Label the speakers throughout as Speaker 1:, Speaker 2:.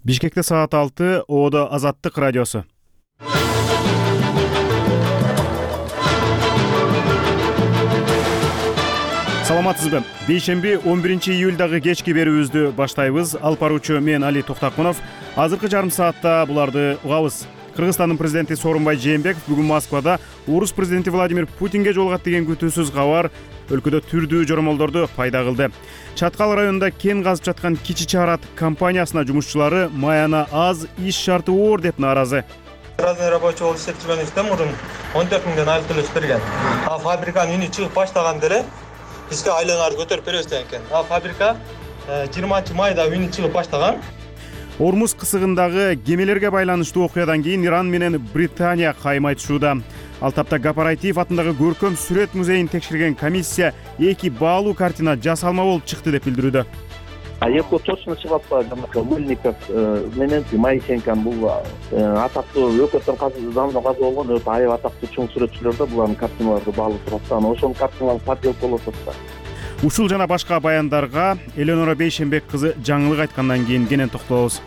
Speaker 1: Бишкекте саат 6, Оодо Азаттык радиосу. Саламатсызбы? Бейшемби 11-июлдагы кечки берүүбүздү баштайбыз. Алып баруучу мен Али Токтакунов. Азыркы жарым саатта буларды угабыз. Кыргызстандын президенти Сооронбай Жээнбеков бүгүн Москвада Орус президенти Владимир Путинге жолугат деген күтүүсүз кабар өлкөдө түрдүү жоромолдорду пайда кылды. Чаткал районунда кен казып жаткан Кичи Чарат компаниясына жумушчулары маяна аз, иш шарты оор деп нааразы.
Speaker 2: Разный рабочий болуп иштеп жүргөнүбүздө мурун 14 миңден айлык төлөп берген. А фабриканын үнү чыгып баштаганда эле бизге айлыгыңарды көтөрүп беребиз деген экен. А фабрика 20 майда үнү чыгып баштаган.
Speaker 1: Ормуз кысыгындагы кемелерге байланыштуу окуядан кийин Иран менен Британия кайым айтышууда. Ал тапта Гапарайтиев атындагы көркөм сүрөт музейин текшерген комиссия эки баалуу картина жасалма болуп чыкты деп билдирүүдө.
Speaker 3: Эко точно чыгып атпайбы, Мыльников менен Моисенко бул атактуу өкөттөн заманда каза болгон өтө аябай атактуу чоң сүрөтчүлөр да булардын картиналарды баалып турат. Ошонун картиналары подделка болуп атат.
Speaker 1: Ушул жана башка баяндарга Элеонора Бейшембек кызы жаңылык айткандан кийин кенен токтолобуз.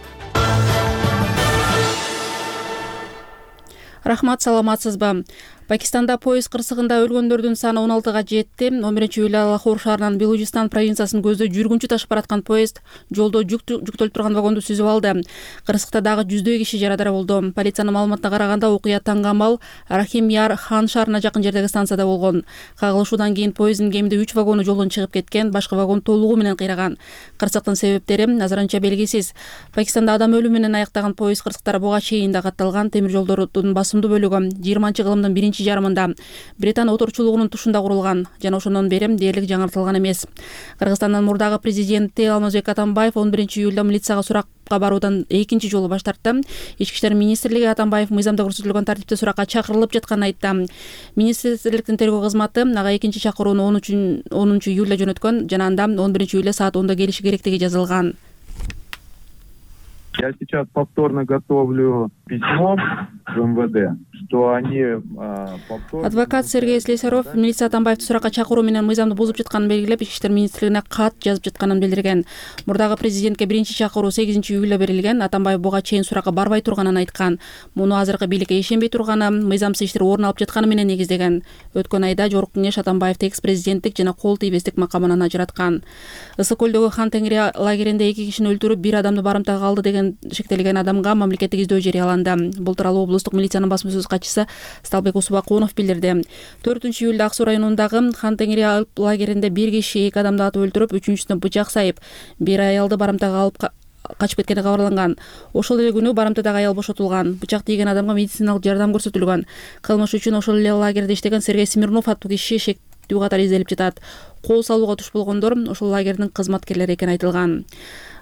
Speaker 4: Рахмат, саламатсызбы? Пакистанда поезд кырсыгында өлгөндөрдүн саны 16га жетти. 11-июлда Лахор шаарынан Белужистан провинциясын көздөй жүргүнчү ташып бараткан поезд жолдо жүктөлүп турган вагонду сүзүп алды. Кырсыкта дагы жүздөй киши жарадар болду. Полициянын маалыматына караганда окуя Тангамал Рахим Яр Хан шаарына жакын жердеги станцияда болгон. Кагылышуудан кийин поезддин кеминде 3 вагону жолдон чыгып кеткен, башка вагон толугу менен кыйраган. Кырсыктын себептери азырынча белгисиз. Пакистанда адам өлүмү менен аяктаган поезд кырсыктар буга чейин да катталган. Темир жолдордун басымдуу бөлүгү 20-кылымдын биринчи жарымында Британ отурчулугунун тушунда курулган жана ошондон бери дээрлик жаңыртылган эмес. Кыргызстандын мурдагы президенти Алмазбек Атамбаев 11-июлда милицияга суракка баруудан экинчи жолу баш тартты. Ички иштер министрлиги Атамбаев мыйзамда көрсөтүлгөн тартипте суракка чакырылып жатканын айтты. Министрликтин тергөө кызматы ага экинчи чакырууну 10-июлда жөнөткөн жана анда 11-июлда саат 10:00 келиши керектиги жазылган.
Speaker 5: Я сейчас повторно готовлю письмо в МВД, что они повторно...
Speaker 4: Адвокат Сергей Слесарев милиция Атамбаевди суракка чакыруу менен мыйзамды бузуп жатканын белгилеп, Ички иштер министрлигине кат жазып жатканын билдирген. Мурдагы президентке биринчи чакыруу 8-июлда берилген. Атамбаев буга чейин суракка барбай турганын айткан. Муну азыркы бийликке ишенбей турганы, мыйзамсыз иштер орун алып жатканы менен негиздеген. Өткөн айда Жогорку Кеңеш Атамбаевди экс-президенттик жана кол тийбестик макамынан ажыраткан. Ысык көлдөгү Хан Теңири лагеринде 2 кишини өлтүрүп, 1 адамды барымтага алды деген шектелген адамга мамлекеттик издөө жарыяланды. Бул тууралуу облустук милициянын басма-сөз катчысы Сталбек Усубакунов билдирди. 4-июлда Ак Суу районундагы Хан Теңири лагеринде 1 киши 2 адамды атып өлтүрүп, 3-үчүсүнө бычак сайып, 1 аялды барымтага алып качып кеткени кабарланган. Ошол эле күнү барымтадагы аял бошотулган. Бычак тийген адамга медициналык жардам көрсөтүлгөн. Кылмыш үчүн ошол эле лагерде иштеген Сергей Смирнов аттуу киши шектүү катары изделип жатат. Кол салууга туш болгондор ошол лагердин кызматкерлери экени айтылган.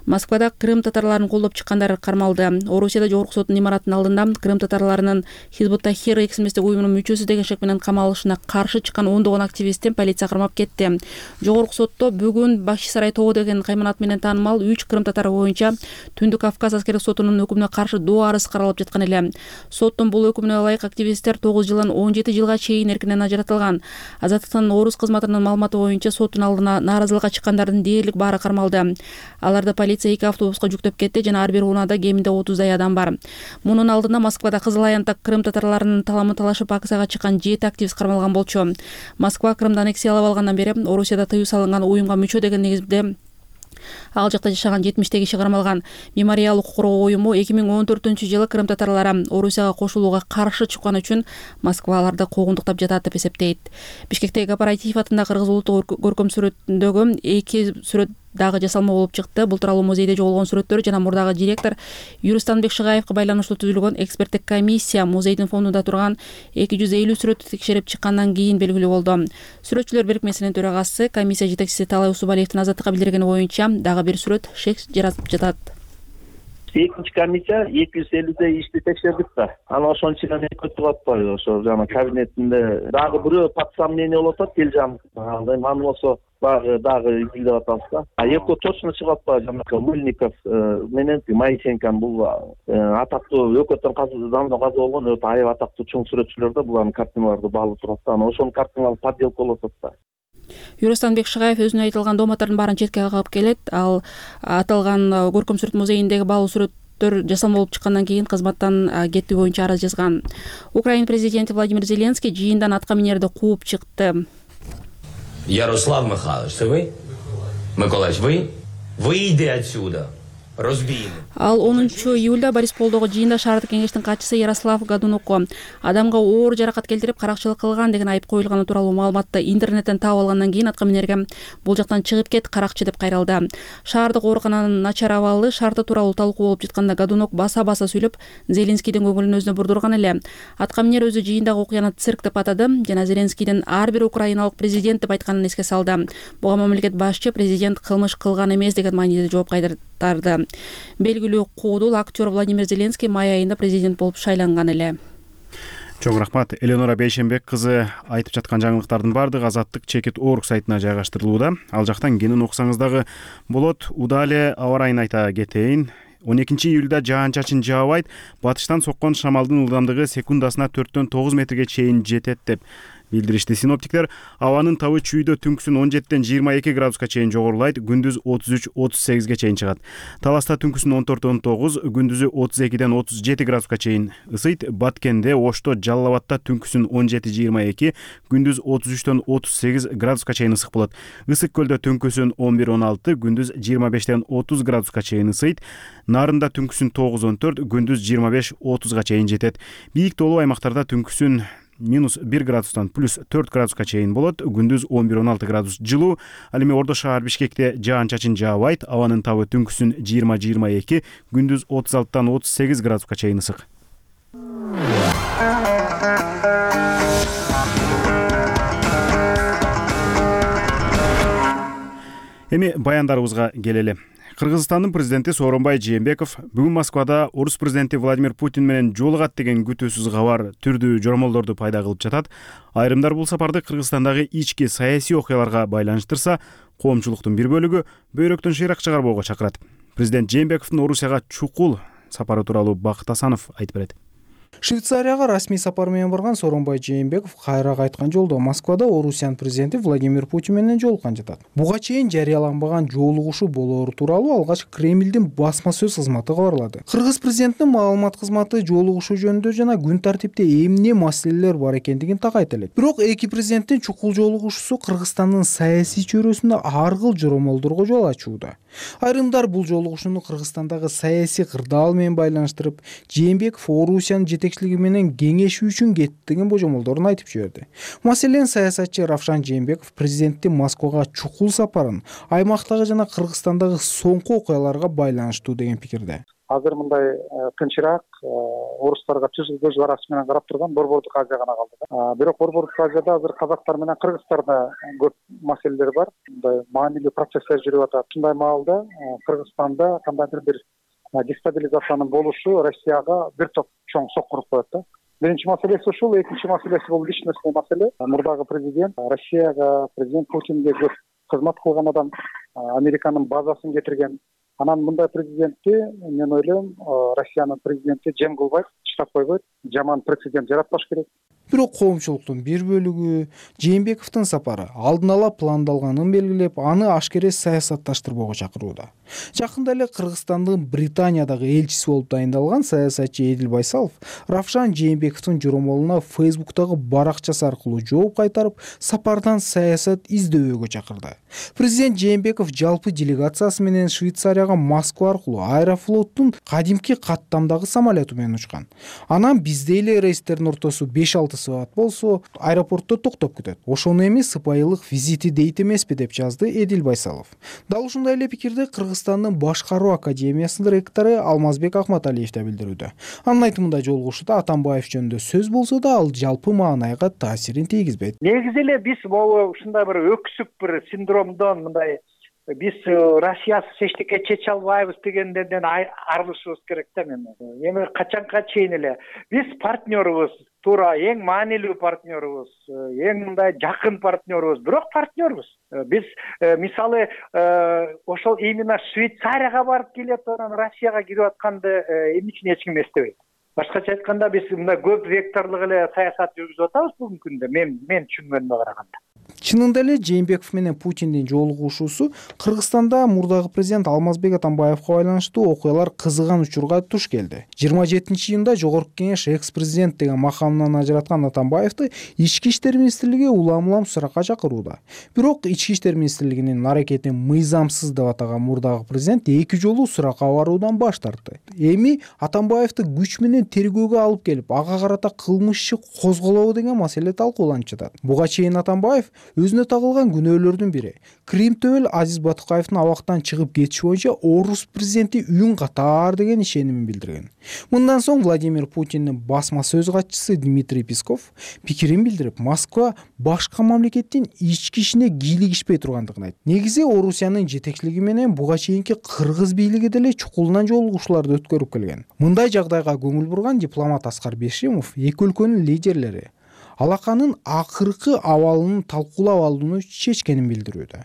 Speaker 4: Москвада Крым татарларын колдоп чыккандар кармалды. Орусияда Жогорку соттун имаратынын алдында Крым татарларынын Хизбут Тахрир экстремисттик уюмунун мүчөсү деген шек менен камалышына каршы чыккан ондогон активистти полиция кармап кетти. Жогорку сотто бүгүн Бахчисарай тобу деген кайманат менен таанымал 3 Крым татары боюнча Түндүк Кавказ аскердик сотунун өкүмүнө каршы доо арыз каралып жаткан эле. Соттун бул өкүмүнө ылайык активисттер 9 жылдан 17 жылга чейин эркинен ажыратылган. Азаттыктын орус кызматынын маалыматы боюнча соттун алдына нааразылыкка чыккандардын дээрлик баары кармалды. Аларды полиция 2 автобуска жүктөп кетти жана ар бир унаада кеминде 30дай адам бар. Мунун алдында Москвада Кызыл Аянтта Крым татарларынын таламын талашып акцияга чыккан 7 активист кармалган болчу. Москва Крымды аннексиялап алгандан бери Орусияда тыюу салынган уюмга мүчө деген негизде ал жакта жашаган 70 киши кармалган. Мемориал укук коргоо уюму 2014-жылы Крым татарлары Орусияга кошулууга каршы чыккан үчүн Москва аларды куугунтуктап жатат деп эсептейт. Бишкектеги Гапарайтиев атындагы Кыргыз улуттук көркөм сүрөтүндөгү 2 сүрөт дагы жасалма болуп чыкты. Бул тууралуу музейде жоголгон сүрөттөр жана мурдагы директор Юрустанбек Шыгаевга байланыштуу түзүлгөн эксперттик комиссия музейдин фондунда турган 250 сүрөттү текшерип чыккандан кийин белгилүү болду. Сүрөтчүлөр бирикмесинин төрагасы комиссия жетекчиси Талай Усубалиевдин Азаттыкка билдиргени боюнча дагы бир сүрөт шек жаратып жатат.
Speaker 3: Экинчи комиссия 250 ишти текшердик да. Анан ошонун ичинен өтүп атпайбы, ошо жана кабинетинде дагы бирөө под сомнение болуп атат, Келжан. Аны болсо дагы изилдеп атабыз да. Эко точно чыгып атпайбы, жана Мыльников менен Моисенко бул атактуу өкөттөн заманда каза болгон өтө аябай атактуу чоң сүрөтчүлөр да булардын картиналарды баалып турат да. Ошонун картиналары подделка болуп атат да.
Speaker 4: Юрустанбек Шыгаев өзүнүн айтылган дооматтардын баарын четке кагып келет. Ал аталган көркөм сүрөт музейиндеги баалуу сүрөт өзгөртүүлөр жасалмалуу болуп чыккандан кийин кызматтан кетүү боюнча арыз жазган. Украина президенти Владимир Зеленский жыйындан атка минерди кууп чыкты.
Speaker 6: Ярослав Михайлович, это вы? Миколаевич, вы? Выйди отсюда. Разбийный.
Speaker 4: Ал 10-июлда Борисполдогу жыйында шаардык кеңештин катчысы Ярослав Годунокко адамга оор жаракат келтирип каракчылык кылган деген айып коюлганы тууралуу маалыматты интернеттен таап алгандан кийин атка минерге бул жактан чыгып кет каракчы деп кайрылды. Шаардык оорукананын начар абалы шарты тууралуу талкуу болуп жатканда Годунок баса-баса сүйлөп Зеленскийдин көңүлүн өзүнө бурдурган эле. Атка минер өзү жыйындагы окуяны цирк деп атады жана Зеленскийдин ар бир украиналык президент деп айтканын эске салды. Буга мамлекет башчы президент кылмыш кылган эмес деген мааниде жооп кайтарды. Белгилүү куудул актер Владимир Зеленский май айында президент болуп шайланган эле.
Speaker 1: Чоң рахмат. Эленора Бейшенбек кызы айтып жаткан жаңылыктардын баардыгы Азаттык Чекит.org сайтына жайгаштырылууда. Ал жактан кенен окусаңыз дагы болот. Удале аба ырайын айта кетейин. 12-июлда жаан-чачын жаабайт, батыштан соккон шамалдын ылдамдыгы секундасына 4-9 метрге чейин жетет деп билдиришти. Синоптиктер абанын табы чүйдө түнкүсүн 17-22 градуска чейин жогорулайт, күндүз 33-38ге чейин чыгат. Таласта түнкүсүн 14-19, күндүзү 32-37 градуска чейин ысыйт. Баткенде, Ошто, Жалал Абадта түнкүсүн 17-22, күндүз 33-38 градуска чейин ысык болот. Ысык көлдө түнкүсүн 11-16, күндүз 25-30 градуска чейин ысыйт. Нарында түнкүсүн 9-14, күндүз 25-30га чейин жетет. Бийик тоолуу аймактарда түнкүсүн -1 градустан +4 градуска чейин болот. Күндүз 11-16 градус жылуу. Ал эми Ордо шаар Бишкекте жаан-чачын жаабайт. Абанын табы түнкүсүн 20-22, күндүз 36-38 градуска чейин ысык. Эми баяндарыбызга келели. Кыргызстандын президенти Сооронбай Жээнбеков бүгүн Москвада орус президенти Владимир Путин менен жолугат деген күтүүсүз кабар түрдүү жоромолдорду пайда кылып жатат. Айрымдар бул сапарды Кыргызстандагы ички саясий окуяларга байланыштырса, коомчулуктун бир бөлүгү бөйрөктөн шыйрак чыгарбоого чакырат. Президент Жээнбековдун Орусияга чукул сапары тууралуу Бакыт Асанов айтып берет.
Speaker 7: Швейцарияга расмий сапар менен барган Сооронбай Жээнбеков кайра кайткан жолдо Москвада Орусиянын президенти Владимир Путин менен жолуккан жатат. Буга чейин жарыяланбаган жолугушуу болоору тууралуу алгач Кремлдин басма сөз кызматы кабарлады. Кыргыз президентинин маалымат кызматы жолугушуу жөнүндө жана күн тартипте эмне маселелер бар экендигин такайт элек. Бирок эки президенттин чукул жолугушуусу Кыргызстандын саясий чөйрөсүндө ар кыл жоромолдорго жол ачууда. Айрымдар бул жолугушууну Кыргызстандагы саясий кырдаал менен байланыштырып, Жээнбеков Орусиянын жетекчилиги менен кеңешүү үчүн кетти деген божомолдорун айтып жиберди. Маселен, саясатчы Равшан Жээнбеков президенттин Москвага чукул сапарын аймактагы жана Кыргызстандагы соңку окуяларга байланыштуу деген пикирде.
Speaker 8: Азыр мындай тынчыраак, орустарга түз көз карашы менен карап турган Борбордук Азия гана калды. Бирок Борбордук Азияда азыр казактар менен кыргыздарда көп маселелер бар. Мындай маанилүү процесстер жүрүп атат. Ушундай маалда Кыргызстанда кандайдыр бир дестабилизациянын болушу Россияга бир топ чоң соккуруп коет да. Биринчи маселеси ушул, экинчи маселеси бул личностный маселе. Мурдагы президент Россияга, президент Путинге көп кызмат кылган адам, Американын базасын кетирген. Анан мындай президентти, мен ойлойм, Россиянын президенти жем кылбайт, чыдап койбойт, жаман прецедент жаратпаш керек.
Speaker 7: Бирок коомчулуктун бир бөлүгү Жээнбековдун сапары алдын ала пландалганын белгилеп, аны ашкере саясатташтырбоого чакырууда. Жакында эле Кыргызстандын Британиядагы элчиси болуп дайындалган саясатчы Эдил Байсалов Равшан Жээнбековдун жоромолуна Фейсбуктагы баракчасы аркылуу жооп кайтарып, сапардан саясат издөөгө чакырды. Президент Жээнбеков жалпы делегациясы менен Швейцарияга Москва аркылуу Аэрофлоттун кадимки каттамдагы самолету менен учкан. Анан бизде эле рейстердин ортосу 5-6 саат болсо, аэропортто токтоп күтөт. Ошону эми сыпайылык визити дейт эмеспи деп жазды Эдил Байсалов. Дал ушундай эле пикирди Кыргызстандын Башкаруу академиясынын ректору Алмазбек Акматалиев да билдирүүдө. Анын айтымында жолугушууда Атамбаев жөнүндө сөз болсо да, ал жалпы маанайга таасирин тийгизбейт.
Speaker 8: Негизи эле биз могу ушундай бир өксүк бир синдромдон мындай биз Россиясыз эчтеке чече албайбыз дегендерден арылышыбыз керек да мен. Эми качанга чейин эле биз партнерубуз, туура эң маанилүү партнерубуз, эң мындай жакын партнерубуз, бирок партнербуз. Биз мисалы ошол именно Швейцарияга барып келип анан Россияга кирип атканды эмне үчүн эч ким эстебейт. Башкача айтканда биз мындай көп векторлук эле саясат жүргүзүп атабыз бүгүнкү күндө, мен түшүнгөнүмө караганда.
Speaker 7: Чынында эле Жээнбеков менен Путиндин жолугушуусу Кыргызстанда мурдагы президент Алмазбек Атамбаевга байланыштуу окуялар кызыган учурга туш келди. 27-июнда Жогорку Кеңеш экс-президент деген макамынан ажыраткан Атамбаевди Ички иштер министрлиги улам-улам суракка чакырууда. Бирок Ички иштер министрлигинин аракетин мыйзамсыз деп атаган мурдагы президент 2 жолу суракка баруудан баш тартты. Эми Атамбаевди күч менен тергөөгө алып келип, ага карата кылмыш иши козголобу деген маселе талкууланып жатат. Буга чейин Атамбаев өзүнө тагылган күнөөлөрдүн бири Крим төбөл Азиз Батукаевдин абактан чыгып кетиши боюнча орус президенти үн катар деген ишенимин билдирген. Мындан соң Владимир Путиндин басма сөз катчысы Дмитрий Песков пикирин билдирип, Москва башка мамлекеттин ички ишине кийлигишпей тургандыгын айтты. Негизи Орусиянын жетекчилиги менен буга чейинки кыргыз бийлиги деле чукулунан жолугушууларды өткөрүп келген. Мындай жагдайга көңүл бурган дипломат Аскар Бешимов эки өлкөнүн лидерлери алаканын акыркы абалын талкуулап алууну чечкенин билдирүүдө.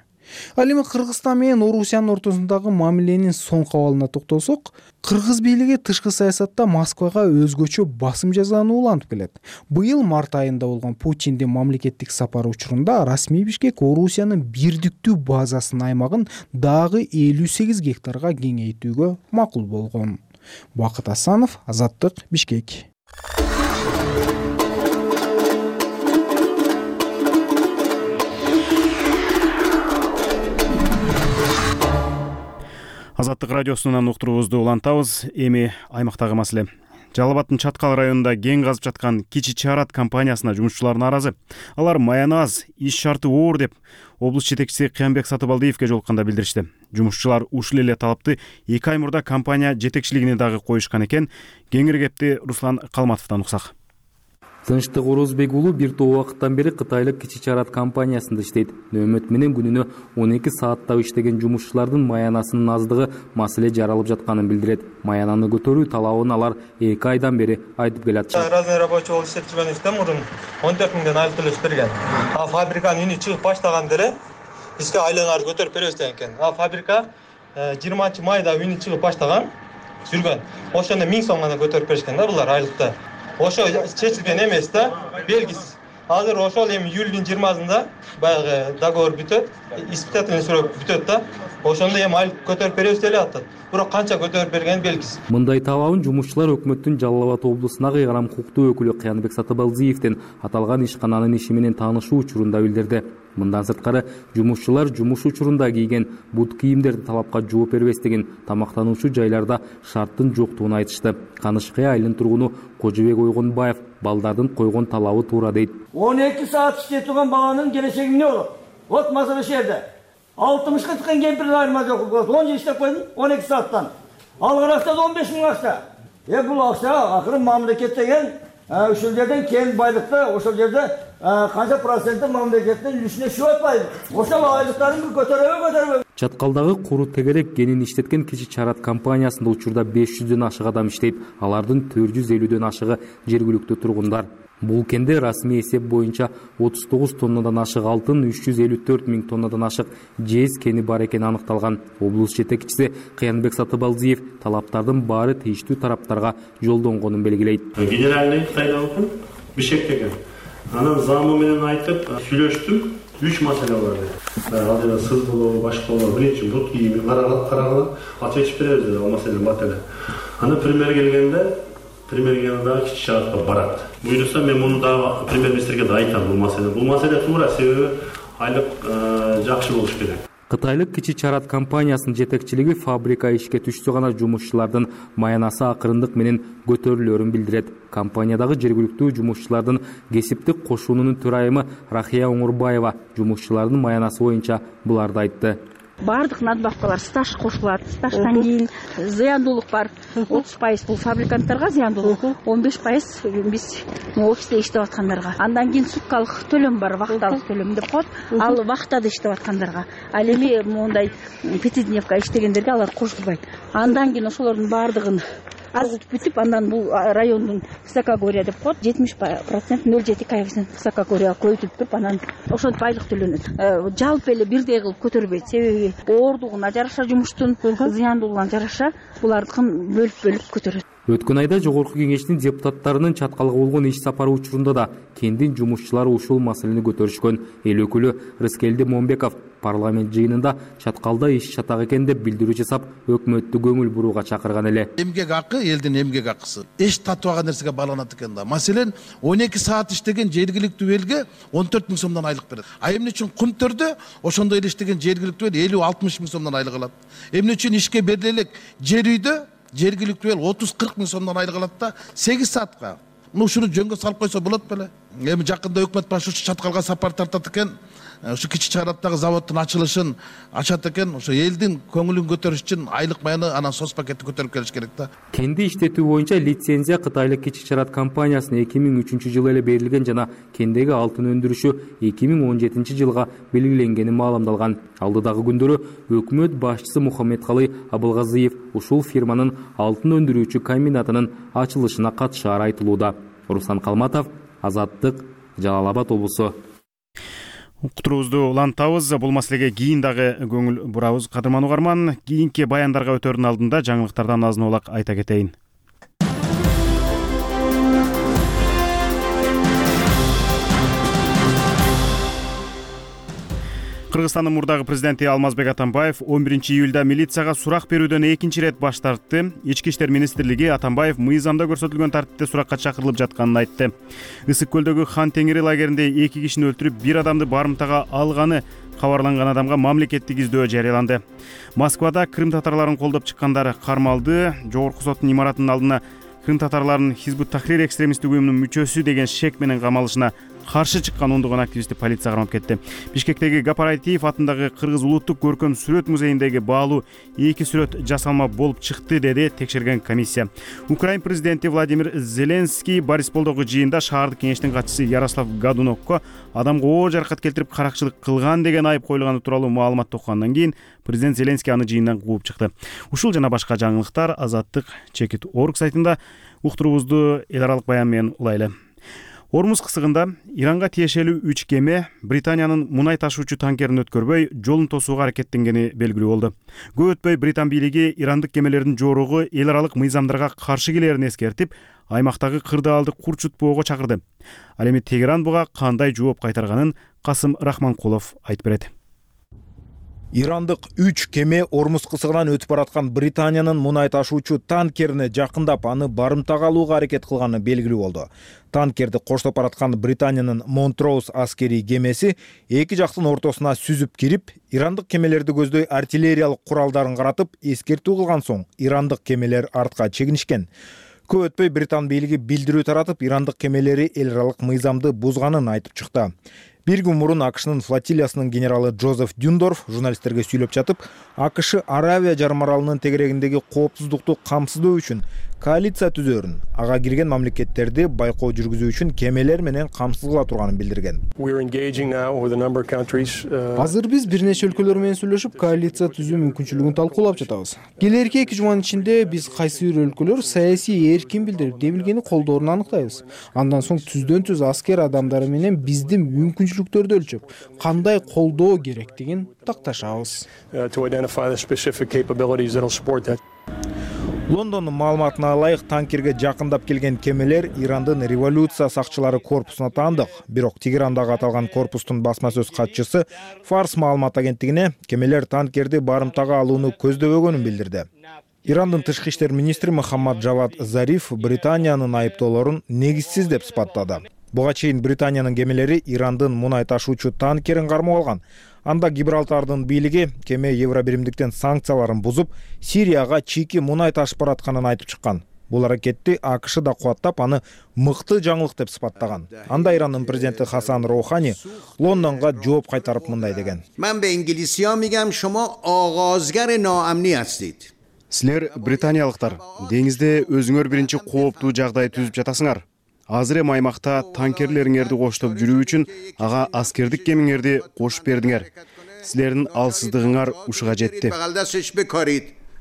Speaker 7: Ал эми Кыргызстан менен Орусиянын ортосундагы мамиленин соңку абалына токтолсок, кыргыз бийлиги тышкы саясатта Москвага өзгөчө басым жасаууну улантып келет. Быйыл март айында болгон Путиндин мамлекеттик сапары учурунда расмий Бишкек Орусиянын бирдиктүү базасынын аймагын дагы 58 гектарга кеңейтүүгө макул болгон. Бакыт Асанов, Азаттык, Бишкек.
Speaker 1: Азаттык радиосунан уктуруубузду улантабыз. Эми аймактагы маселе. Жалал Абадтын Чаткал районунда кен казып жаткан Кичи Чарат компаниясына жумушчулар нааразы. Алар маяны аз, иш шарты оор деп облус жетекчиси Кыянбек Сатыбалдиевге жолукканда билдиришти. Жумушчулар ушул эле талапты 2 ай мурда компания жетекчилигине дагы коюшкан экен. Кеңири кепти Руслан Калматовдон уксак.
Speaker 9: Тынчтык Орозбек уулу бир топ убакыттан бери Кытайлык Кичи Чарат компаниясында иштейт. Нөөмөт менен күнүнө 12 сааттап иштеген жумушчулардын маянасынын аздыгы маселе жаралып жатканын билдирет. Маянаны көтөрүү талабын алар 2 айдан бери айтып келет.
Speaker 2: Разный рабочий болуп иштеп жүргөнүбүздө мурун 14 миңден айлык төлөп берген. А фабриканын үнү чыгып баштаганда эле бизге айлыгыңарды көтөрүп беребиз деген экен. А фабрика 20 майда үнү чыгып баштаган жүргөн. Ошондо 1000 сом гана көтөрүп беришкен да булар айлыкта. Ошо чечилген эмес да, белгисиз. Азыр ошол эми июлдун 20-сында баягы договор бүтөт, испытательный срок бүтөт да. Ошондо эми айлык көтөрүп беребиз деп атат. Бирок канча көтөрүп бергени белгисиз.
Speaker 9: Мындай талабын жумушчулар өкмөттүн Жалал Абад облусуна кыйгарам укуктуу өкүлү Кыянбек Сатыбалдиевден аталган ишкананын иши менен таанышуу учурунда билдирди. Мындан сырткары жумушчулар жумуш учурунда кийген бут кийимдерди талапка жооп бербестигин, тамактануучу жайларда шарттын жоктугун айтышты. Канышкай айылынын тургуну Кожобек Ойгонбаев балдардын койгон талабы туура дейт.
Speaker 10: 12 саат иштеп турган баланын келечеги эмне болот? Вот маселе ошол жерде. 60-ка чыккан кемпирдин айырма жок. 10 жыл иштеп койдум 12 сааттан. Алган акча 15 миң акча. Бул акча акыры мамлекет деген ошол жерден кен байлыкты ошол жерде канча проценти мамлекеттин үлүшүнө түшүп атпайбы? Ошол айлыктарын көтөрөбү?
Speaker 9: Чаткалдагы куру тегерек кенин иштеткен Кичи Чарат компаниясында учурда 500дөн ашык адам иштейт. Алардын 450дөн ашыгы жергиликтүү тургундар. Бул кенде расмий эсеп боюнча 39 тоннадан ашык алтын, 354 миң тоннадан ашык жез кени бар экени аныкталган. Облус жетекчиси Кыянбек Сатыбалдиев талаптардын баары тийиштүү тараптарга жолдонгонун белгилейт.
Speaker 11: Генеральный Кытайдагы Бишкектеги. Анан замы менен айтып сүйлөштүм. 3 маселе бар. Ал жерде сыз болобу, башка болобу, биринчи бут кийими карагыла, ответчип беребиз деп ал маселе бар эле. Аны премьер келгенде дагы Кичи Чаратка барат. Буйруса мен муну дагы премьер-министрге да айтам бул маселе. Бул маселе туура, себеби айлык жакшы болуш керек.
Speaker 9: Кытайлык Кичи Чарат компаниясынын жетекчилиги фабрика ишке түшсө гана жумушчулардын маянасы акырындык менен көтөрүлөрүн билдирет. Компаниядагы жергиликтүү жумушчулардын кесиптик кошуунунун төрайымы Рахия Оңурбаева жумушчулардын маянасы боюнча буларды айтты.
Speaker 12: Бардык надбавкалар стаж кошулат. Стаждан кийин зыяндуулук бар. 30% бул фабриканттарга зыяндуулук, 15% биз офисте иштеп аткандарга. Андан кийин суткалык төлөм бар, вахталык төлөм деп коет. Ал вахтада иштеп аткандарга. Ал эми мондай пятидневка иштегендерге алар кошулбайт. Андан кийин ошолордун бардыгын азытып бүтүп, андан бул райондун высокогорья деп коет, 70% 0,7 коэффициент высокогорья көйтүп туруп, анан ошентип айлык төлөнөт. Жалпы эле бирдей кылып көтөрбөйт, себеби оордугуна жараша жумуштун зыяндуулугуна жараша булардыкын бөлүп көтөрөт.
Speaker 9: Өткөн айда Жогорку Кеңештин депутаттарынын чаткалга болгон иш сапары учурунда да кендин жумушчулары ушул маселени көтөрүшкөн. Эл өкүлү Рыскелди Момбеков парламент жыйынында чаткалда иш чатак экен деп билдирүү жасап, өкмөттү көңүл бурууга чакырган эле.
Speaker 13: Эмгек акы элдин эмгек акысы эч татыбаган нерсеге байланат экен да. Маселен 12 саат иштеген жергиликтүү элге 14 000 сомдон айлык берет. А эмне үчүн Кумтөрдө ошондой эле иштеген жергиликтүү эл 50-60 000 сомдон айлык алат. Эмне үчүн ишке бериле элек жер үйдө жергиликтүү эл 30-40 000 сомдон айлык алат да 8 саатка. Ушуну жөнгө салып койсо болот беле. Эми жакында өкмөт башы ушу чаткалга сапар тартат экен. Ушу Кичи Чараттагы заводдун ачылышын ачат экен. Ошо элдин көңүлүн көтөрүш үчүн айлык майны анан соц пакетти көтөрүп келиш керек да.
Speaker 9: Кенди иштетүү боюнча лицензия Кытайлык Кичи Чарат компаниясына 2003-жылы эле берилген жана кендеги алтын өндүрүшү 2017-жылга белгиленгени маалымдалган. Алдыдагы күндөрү өкмөт башчысы Мухаммедкалый Абылгазиев ушул фирманын алтын өндүрүүчү комбинатынын ачылышына катышаары айтылууда. Руслан Калматов, Азаттык, Жалал Абад облусу.
Speaker 1: Уктуруубузду улантабыз. Бул маселеге кийин дагы көңүл бурабыз. Кадырман угарман, кийинки баяндарга өтөрдүн алдында жаңылыктардан азын улак айта кетейин. Кыргызстандын мурдагы президенти Алмазбек Атамбаев 11-июлда милицияга сурак берүүдөн экинчи ирет баш тартты. Ички иштер министрлиги Атамбаев мыйзамда көрсөтүлгөн тартипте суракка чакырылып жатканын айтты. Ысык көлдөгү Хан Теңири лагеринде 2 кишини өлтүрүп, 1 адамды барымтага алганы кабарланган адамга мамлекеттик издөө жарыяланды. Москвада Крым татарларын колдоп чыккандар кармалды. Жогорку соттун имаратынын алдына Крым татарларынын Хизбут Тахрир экстремисттик уюмунун мүчөсү деген шек менен камалышына каршы чыккан ондогон активистти полиция кармап кетти. Бишкектеги Гапар Айтиев атындагы Кыргыз улуттук көркөм сүрөт музейиндеги баалуу 2 сүрөт жасалма болуп чыкты, деди текшерген комиссия. Украин президенти Владимир Зеленский Борисполдогу жыйында шаардык кеңештин катчысы Ярослав Гадунокко адамга оор жаракат келтирип каракчылык кылган деген айып коюлганы тууралуу маалымат токкандан кийин президент Зеленский аны жыйындан кууп чыкты. Ушул жана башка жаңылыктар Азаттык.org сайтында. Уктуруубузду эл аралык баян менен улайлы. Ормуз кысыгында Иранга тиешелүү 3 кеме Британиянын мунай ташуучу танкерин өткөрбөй, жолун тосууга аракеттенгени белгилүү болду. Көп өтпөй Британ бийлиги ирандык кемелердин жоругу эл аралык мыйзамдарга каршы келерин эскертип, аймактагы кырдаалды курчутпоого чакырды. Ал эми Тегеран буга кандай жооп кайтарганын Касым Рахманкулов айтып берет.
Speaker 14: Ирандык 3 кеме Ормуз кысыгынан өтүп бараткан Британиянын мунай ташуучу танкерине жакындап, аны барымтага алууга аракет кылганы белгилүү болду. Танкерди коштоп бараткан Британиянын Монтроуз аскерий кемеси эки жактын ортосуна сүзүп кирип, ирандык кемелерди көздөй артиллериялык куралдарын каратып, эскертүү кылган соң ирандык кемелер артка чегинишкен. Көп өтпөй Британ бийлиги билдирүү таратып, ирандык кемелери эл аралык мыйзамды бузганын айтып чыкты. Bir gün мурун AQShnын флотилиясынын генералы Джозеф Дюндорф журналисттерге сүйлөп жатып, AQSh Аравия жарым аралынын тегерегиндеги коопсуздукту камсыздоо үчүн коалиция түзөрүн, ага кирген мамлекеттерди байкоо жүргүзүү үчүн кемелер менен камсыз кыла турганын билдирген.
Speaker 7: Азыр биз бир нече өлкөлөр менен сүйлөшүп, коалиция түзүү мүмкүнчүлүгүн талкуулап жатабыз. Келерки 2 жуманын ичинде биз кайсы бир өлкөлөр саясий эркин билдирип дебилгени колдоорун аныктайбыз. Андан соң түздөн түз аскер адамдары менен биздин мүмкүнчүлүктөрдү өлчөп, кандай колдоо керектигин такташабыз.
Speaker 14: Лондондун маалыматына ылайык, танкерге жакындап келген кемелер Ирандын революция сакчылары корпусуна таандык. Бирок Тегерандагы аталган корпустун басма сөз катчысы Фарс маалымат агенттигине кемелер танкерди барымтага алууну көздөбөгөнүн билдирди. Ирандын тышкы иштер министри Мухаммад Джавад Зариф Британиянын айыптоолорун негизсиз деп сыпаттады. Буга чейин Британиянын кемелери Ирандын мунай ташуучу танкерин кармап алган. Анда Гибралтардын бийлиги кеме Евробиримдиктен санкцияларын бузуп, Сирияга чийки мунай ташып баратканын айтып чыккан. Бул аракетти AQSh да кубаттап, аны мыкты жаңылык деп сыпаттаган. Анда Ирандын президенти Хасан Роухани Лондонго жооп кайтарып мындай деген.
Speaker 15: Мен бе инглисия мигам, шомо агазгар ноамни астид.
Speaker 1: Силер британиялыктар, деңизде өзүңөр биринчи кооптуу жагдай түзүп жатасыңар. Азыр эми аймакта танкерлериңерди коштоп жүрүү үчүн ага аскердик кемиңерди кошуп бердиңер. Силердин алсыздыгыңар ушуга жетти.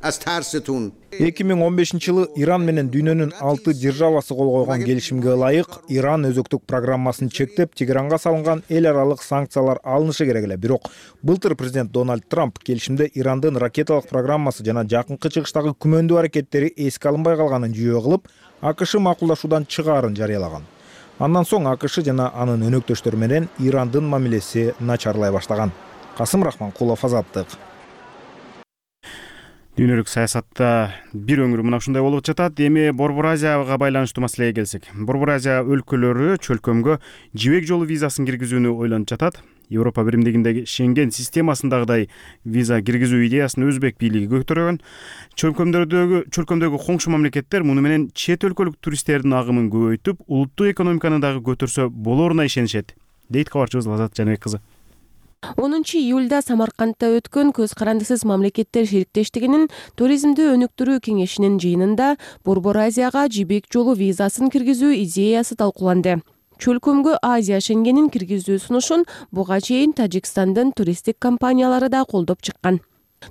Speaker 15: از ترستون
Speaker 14: 2015-жылы Иран менен дүйнөнүн 6 державасы кол койгон келишимге ылайык Иран өзөктүк программасын чектеп, Тегеранга салынган эл аралык санкциялар алынышы керек эле. Бирок былтыр президент Дональд Трамп келишимде Ирандын ракеталык программасы жана жакынкы чыгыштагы күмөндүү аракеттери эске алынбай калганын жүйө кылып, АКШ макулдашуудан чыгаарын жарыялаган. Андан соң АКШ жана анын өнөктөштөрү менен Ирандын мамилеси начарлай баштаган. Касым Рахманкулов, Азаттык.
Speaker 1: Дүйнөлүк саясатта бир өңүр мына ушундай болуп жатат. Эми Борбор Азияга байланыштуу маселеге келсек. Борбор Азия өлкөлөрү чөлкөмгө жибек жолу визасын киргизүүнү ойлонуп жатат. Европа биримдигиндеги Шенген системасындагыдай виза киргизүү идеясын өзбек бийлиги көтөргөн. Чөлкөмдөгү коңшу мамлекеттер муну менен чет өлкөлүк туристтердин агымын көбөйтүп, улуттук экономиканы дагы көтөрсө болоруна ишенишет, дейт кабарчыбыз Лазат Жаныбек кызы.
Speaker 16: 10-июлда Самаркандта өткөн көз карандысыз мамлекеттер шериктештигинин туризмди өнүктүрүү кеңешинин жыйынында Борбор Азияга жибек жолу визасын киргизүү идеясы талкууланды. Чөлкөмгө Азия Шенгенин киргизүү сунушун буга чейин Тажикстандын туристтик компаниялары да колдоп чыккан.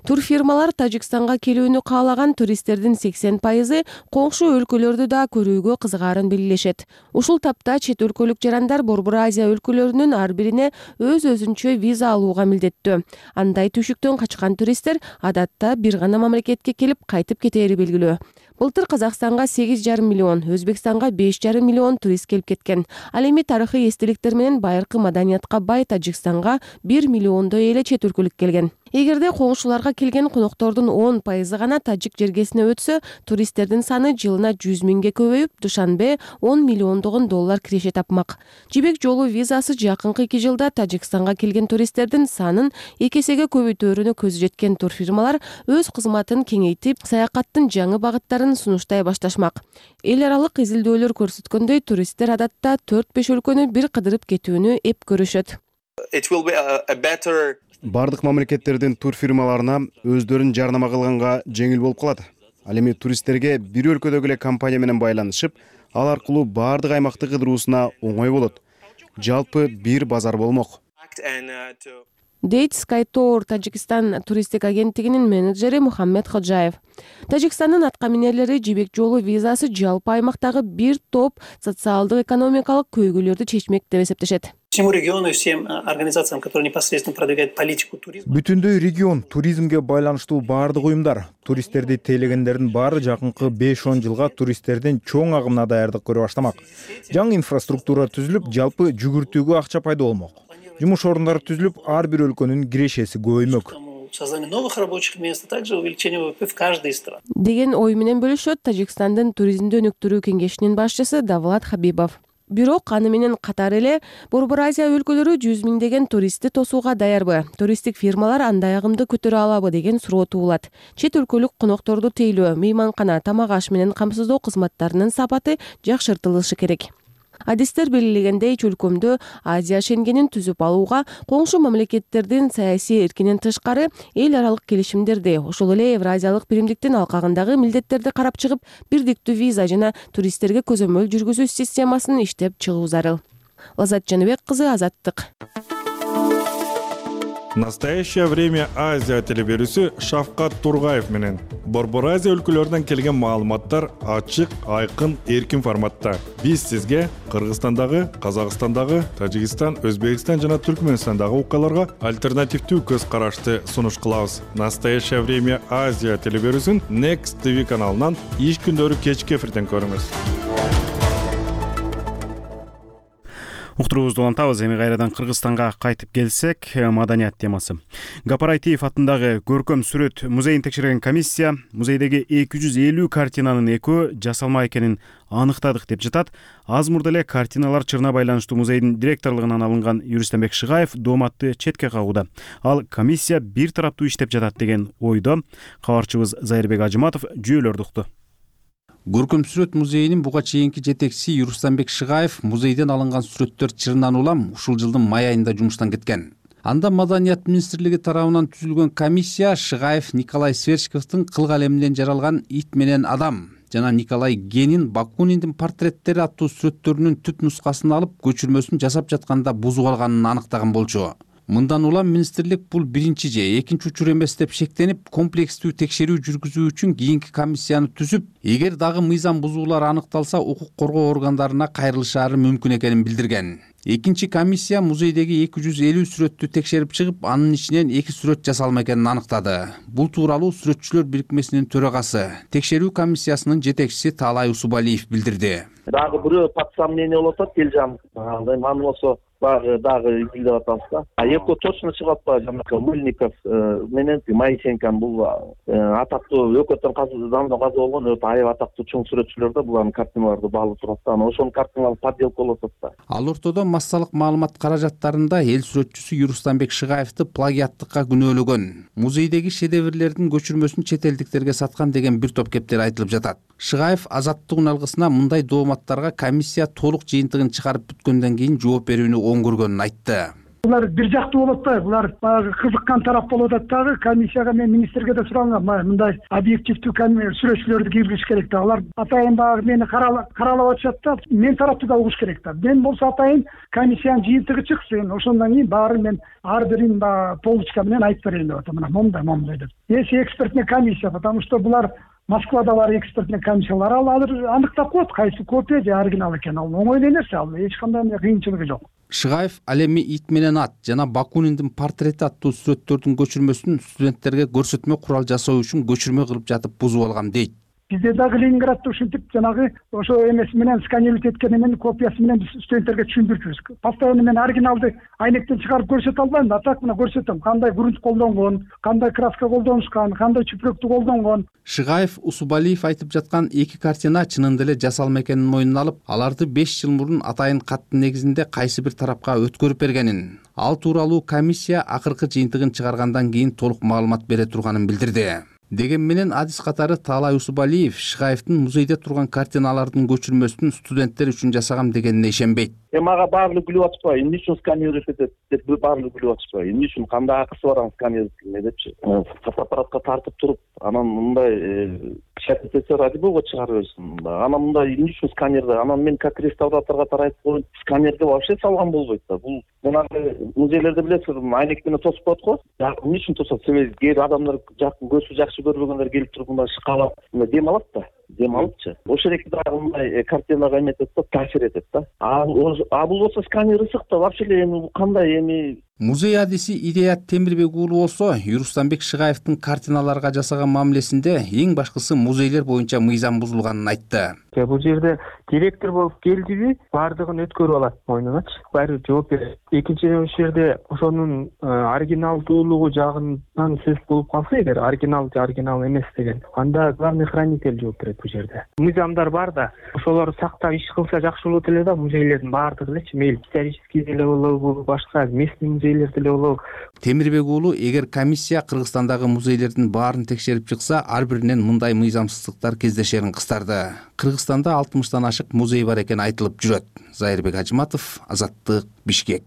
Speaker 16: Турфирмалар Тажикстанга келүүнү каалаган туристтердин 80% коңшу өлкөлөрдү да көрүүгө кызыгаарын белгилешет. Ушул тапта чет өлкөлүк жарандар Борбор Азия өлкөлөрүнүн ар бирине өз-өзүнчө виза алууга милдеттүү. Андай түшүктөн качкан туристтер адатта бир гана мамлекетке келип кайтып кетери белгилүү. Былтыр Казакстанга 8,5 миллион, Өзбекстанга 5,5 миллион турист келип кеткен. Ал эми тарыхый эстеликтер менен байыркы маданиятка бай Тажикстанга 1 миллиондой эле чет өлкөлүк келген. Эгерде коңшуларга келген коноктордун 10% гана тажик жергесине өтсө, туристтердин саны жылына 100 миңге көбөйүп, Душанбе 10 миллиондогон доллар киреше тапмак. Жибек жолу визасы жакынкы 2 жылда Тажикстанга келген туристтердин санын 2 эсеге көбөйтөөрүнө көзү жеткен турфирмалар өз кызматын кеңейтип, саякаттын жаңы багыттарын сунуштай башташмак. Эл аралык изилдөөлөр көрсөткөндөй, туристтер адатта 4-5 өлкөнү бир кыдырып кетүүнү эп көрүшөт.
Speaker 1: Бардык мамлекеттердин турфирмаларына өздөрүн жарнама кылганга жеңил болуп калат. Ал эми туристтерге бир өлкөдөгү эле компания менен байланышып, ал аркылуу бардык аймакты кыдыруусуна оңой болот. Жалпы бир базар болмок.
Speaker 16: Дейт SkyTour Тажикстан туристтик агенттигинин менеджери Мухаммед Ходжаев. Тажикстандын аткаминерлери жибек жолу визасы жалпы аймактагы бир топ социалдык экономикалык көйгөйлөрдү чечмек деп эсептешет.
Speaker 17: Всему региону и всем организациям, которые непосредственно продвигают политику туризма.
Speaker 14: Бүтүндөй регион туризмге байланыштуу бардык уюмдар, туристтерди тейлегендердин баары жакынкы 5-10 жылга туристтердин чоң агымына даярдык көрө баштамак. Жаңы инфраструктура түзүлүп, жалпы жүгүртүүгө акча пайда болмок. Жумуш орундары түзүлүп, ар бир өлкөнүн кирешеси көбөймөк.
Speaker 17: Создание новых рабочих мест, а также увеличение ВВП в каждой из стран.
Speaker 16: Деген ой менен бөлүшөт Тажикстандын туризмди өнүктүрүү кеңешинин башчысы Давлат Хабибов. Бирок аны менен катар эле Борбор Азия өлкөлөрү 100 миңдеген туристти тосууга даярбы? Туристтик фирмалар андай агымды көтөрө алабы деген суроо туулат. Чет өлкөлүк конокторду тейлөө, мейманкана, тамак аш менен камсыздоо кызматтарынын сапаты жакшыртылышы керек. Адистер белгилегендей, чөлкөмдө Азия Шенгенин түзүп алууга коңшу мамлекеттердин саясий эркинен тышкары эл аралык келишимдерди, ошол эле Евразиялык биримдиктин алкагындагы милдеттерди карап чыгып, бирдиктүү виза жана туристтерге көзөмөл жүргүзүү системасын иштеп чыгуу зарыл. Лазат Жаныбек кызы, Азаттык.
Speaker 18: Настоящее время Азия телеберүүсү Шавкат Тургаев менен Борбор Азия өлкөлөрүнөн келген маалыматтар ачык, айкын, эркин форматта. Биз сизге Кыргызстандагы, Казакстандагы, Тажикстан, Өзбекстан жана Түркмөнстандагы окуяларга альтернативдүү көз карашты сунуш кылабыз. Настоящее время Азия телеберүүсүн Next TV каналынан иш күндөрү кечки эфирден көрүңүз.
Speaker 1: Уктуруубузду улантабыз. Эми кайрадан Кыргызстанга кайтып келсек, маданият темасы. Гапар Айтиев атындагы көркөм сүрөт музейин текшерген комиссия музейдеги 250 картинанын экөө жасалма экенин аныктадык деп жатат. Аз мурда эле картиналар чырына байланыштуу музейдин директорлугунан алынган Юристанбек Шыгаев дооматты четке кагууда. Ал комиссия бир тараптуу иштеп жатат деген ойдо. Кабарчыбыз Зайырбек Ажыматов жүйөлөрдү укту.
Speaker 19: Көркөм сүрөт музейинин буга чейинки жетекчиси Юристанбек Шыгаев музейден алынган сүрөттөр чырынан улам ушул жылдын май айында жумуштан кеткен. Анда Маданият министрлиги тарабынан түзүлгөн комиссия Шыгаев Николай Сверчковдун кыл калеминен жаралган Ит менен адам жана Николай Генин Бакуниндин портреттери аттуу сүрөттөрүнүн түп нускасын алып көчүрмөсүн жасап жатканда бузуп алганын аныктаган болчу. Мындан улам министрлик бул биринчи же экинчи учур эмес деп шектенип, комплекстүү текшерүү жүргүзүү үчүн кийинки комиссияны түзүп, эгер дагы мыйзам бузуулар аныкталса, укук коргоо органдарына кайрылышаары мүмкүн экенин билдирген. Экинчи комиссия музейдеги 250 сүрөттү текшерип чыгып, анын ичинен 2 сүрөт жасалма экенин аныктады. Бул тууралуу Сүрөтчүлөр бирикмесинин төрагасы, текшерүү комиссиясынын жетекчиси Таалай Усубалиев билдирди.
Speaker 3: Дагы бирөө под сомнение болуп атат, Элжан. Аны болсо дагы изилдеп атабыз да. Экөө точно чыгып атпайбы, жанагы Мыльников менен Моисенко бул атактуу өкөттөн заманда каза болгон өтө аябай атактуу чоң сүрөтчүлөр да, булардын картиналарды баалып турат да. Ошонун картиналары подделка болуп атат да.
Speaker 19: Ал ортодо массалык маалымат каражаттарында эл сүрөтчүсү Юрустамбек Шыгаевди плагиаттыкка күнөөлөгөн, музейдеги шедеврлердин көчүрмөсүн чет элдиктерге саткан деген бир топ кептер айтылып жатат. Шыгаев Азаттык үналгысына мындай дооматтарга комиссия толук жыйынтыгын чыгарып бүткөндөн кийин жооп берүүнү оң көргөнүн айтты.
Speaker 20: Булар бир жактуу болуп атпайбы? Булар баягы кызыккан тарап болуп атат дагы. Комиссияга мен министрге да сурагам, мындай объективдүү сүрөтчүлөрдү киргизиш керек да. Алар атайын баягы мени каралап атышат да. Мен тарапты да угуш керек да. Мен болсо атайын комиссиянын жыйынтыгы чыксын. Ошондон кийин баарын мен ар бирин полочка менен айтып берейин деп атам. Мына момундай деп. Если экспертный комиссия, потому что булар Москвада бар экспертный комиссиялар алыр аныктап коет, кайсы копия же оригинал экенин. Ал оңой нерсе, ал эч кандай кыйынчылыгы жок.
Speaker 19: Шыгаев ал эми Ит менен ат жана Бакуниндин портрети аттуу сүрөттөрдүн көчүрмөсүн студенттерге көрсөтмө курал жасоо үчүн көчүрмө кылып жатып бузуп алган дейт.
Speaker 20: Бизде дагы Ленинградда ушинтип жанагы ошо эмеси менен сканировать эткенин копиясы менен студенттерге түшүндүрчүбүз. Постоянно мен оригиналды айнектен чыгарып көрсөтө албайм да, так мына көрсөтөм. Кандай грунт колдонгон, кандай краска колдонушкан, кандай чүпрөктү колдонгон.
Speaker 19: Шыгаев Усубалиев айтып жаткан эки картина чынында эле жасалма экенин мойнуна алып, аларды 5 жыл мурун атайын каттын негизинде кайсы бир тарапка өткөрүп бергенин. Ал тууралуу комиссия акыркы жыйынтыгын чыгаргандан кийин толук маалымат бере турганын билдирди. Деген менен адис катары Таалай Усубалиев Шыгаевдин музейде турган картиналардын көчүрмөсүн студенттер үчүн жасагам дегенине ишенбейт.
Speaker 3: Мага баардыгы күлүп атышпайбы, эмне үчүн сканировать этет деп баардыгы күлүп атышпайбы, эмне үчүн кандай акысы бар анын сканировать эткенге депчи. Фотоаппаратка тартып туруп, анан мындай шатетсе ради бога чыгарып берсин. Анан мындай эмне үчүн сканерде, анан мен как реставраторго тарайып коюп, сканерде вообще салган болбойт да. Бул жанагы музейлерде билесиз, айнек менен тосуп коет го. Эмне үчүн тосот? Себеби кээ бир адамдар көзү жакшы көрбөгөндөр келип туруп мындай шкалап дем алат да. Дем алыпчы. Ошол эки дагы мындай картинага эметет да, таасир этет да. А бул болсо сканер ысык да, вообще эми кандай эми.
Speaker 19: Музей адиси Ирият Темирбек уулу болсо, Юрустамбек Шыгаевдин картиналарга жасаган мамилесинде эң башкысы музейлер боюнча мыйзам бузулганын айтты.
Speaker 21: Бул жерде директор болуп келдиби, баардыгын өткөрүп алат мойнуначы. Баары жооп берет. Экинчиден ошол жерде ошонун оригиналдуулугу жагынан сөз болуп калса, эгер оригинал эмес деген, анда главный хранитель жооп берет бул жерде. Мыйзамдар бар да, ошолорду сактап иш кылса жакшы болот эле да, музейлердин баардыгы элечи, мейли исторический деле болобу, башка местный музейлерде эле болобу.
Speaker 19: Темирбек уулу, эгер комиссия Кыргызстандагы музейлердин баарын текшерип чыкса, ар биринен мындай мыйзамсыздыктар кездешерин кыстарды. Кыргызстанда 60-тан ашык музей бар экени айтылып жүрөт. Зайырбек Ажыматов, Азаттык, Бишкек.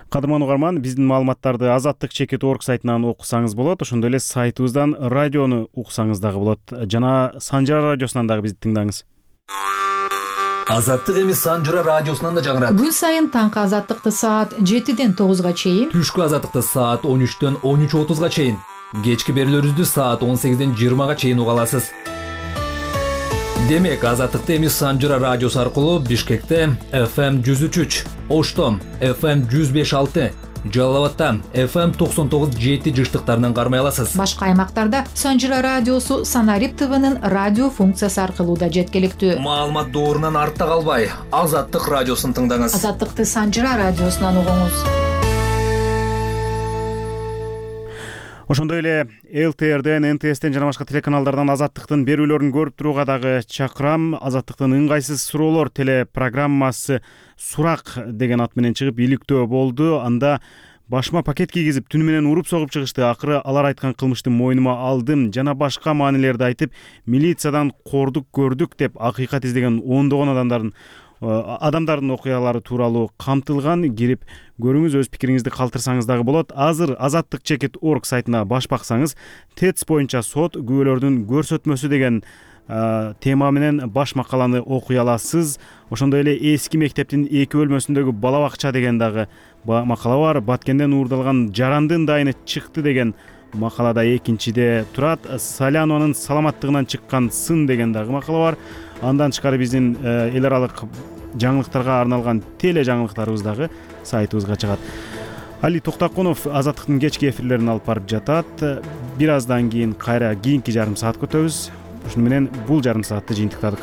Speaker 1: Кадырман угарман, биздин маалыматтарды azattik.org сайтынан окусаңыз болот, ошондой эле сайтыбыздан радиону уксаңыз дагы болот. Жана Санжара радиосунан дагы бизди тыңдаңыз.
Speaker 22: Азаттык эми Санжара радиосунан да жаңырат.
Speaker 23: Күн сайын таңкы Азаттыкты саат 7-ден 9-га чейин,
Speaker 22: түшкү Азаттыкты саат 13-төн 13:30-га чейин, кечки берүүлөрүбүздү саат 18-ден 20-га чейин уга аласыз. Демек, Азаттыкты эми Санжара радиосу аркылуу Бишкекте FM 103, Ошто FM 105.6, Жалал-Абадта FM 99.7 жыштыктарынан кармай аласыз.
Speaker 23: Башка аймактарда Санжара радиосу Санарип ТВнын радио функциясы аркылуу да жеткиликтүү.
Speaker 22: Маалымат доорунан артта калбай, Азаттык радиосун тыңдаңыз.
Speaker 23: Азаттыкты Санжара радиосунан угуңуз.
Speaker 1: Ошондой эле ЛТРден, НТСтен жана башка телеканалдардан Азаттыктын берүүлөрүн көрүп турууга дагы чакырам. Азаттыктын ыңгайсыз суроолор телепрограммасы Сурак деген ат менен чыгып иликтөө болду. Анда башыма пакет кийгизип, түнү менен уруп согуп чыгышты. Акыры алар айткан кылмышты мойнума алдым. Жана башка маанилерди айтып, милициядан кордук көрдүк деп акыйкат издеген ондогон адамдардын окуялары тууралуу камтылган. Кирип көрүңүз, өз пикириңизди калтырсаңыз дагы болот. Азыр azattik.org сайтына баш баксаңыз, ТЭЦ боюнча сот күбөлөрдүн көрсөтмөсү деген тема менен баш макаланы окуй аласыз. Ошондой эле эски мектептин 2 бөлмөсүндөгү бала бакча деген дагы макала бар. Баткенден уурдалган жарандын дайыны чыкты деген макалада экинчиде турат. Салянонун саламаттыгынан чыккан сын деген дагы макала бар. Андан тышкары биздин эл аралык жаңылыктарга арналган теле жаңылыктарыбыз дагы сайтыбызга чыгат. Али Токтокунов Азаттыктын кечки эфирлерин алып барып жатат. Бир аздан кийин кайра кийинки жарым саатка өтөбүз. Ушуну менен бул жарым саатты жыйынтыктадык.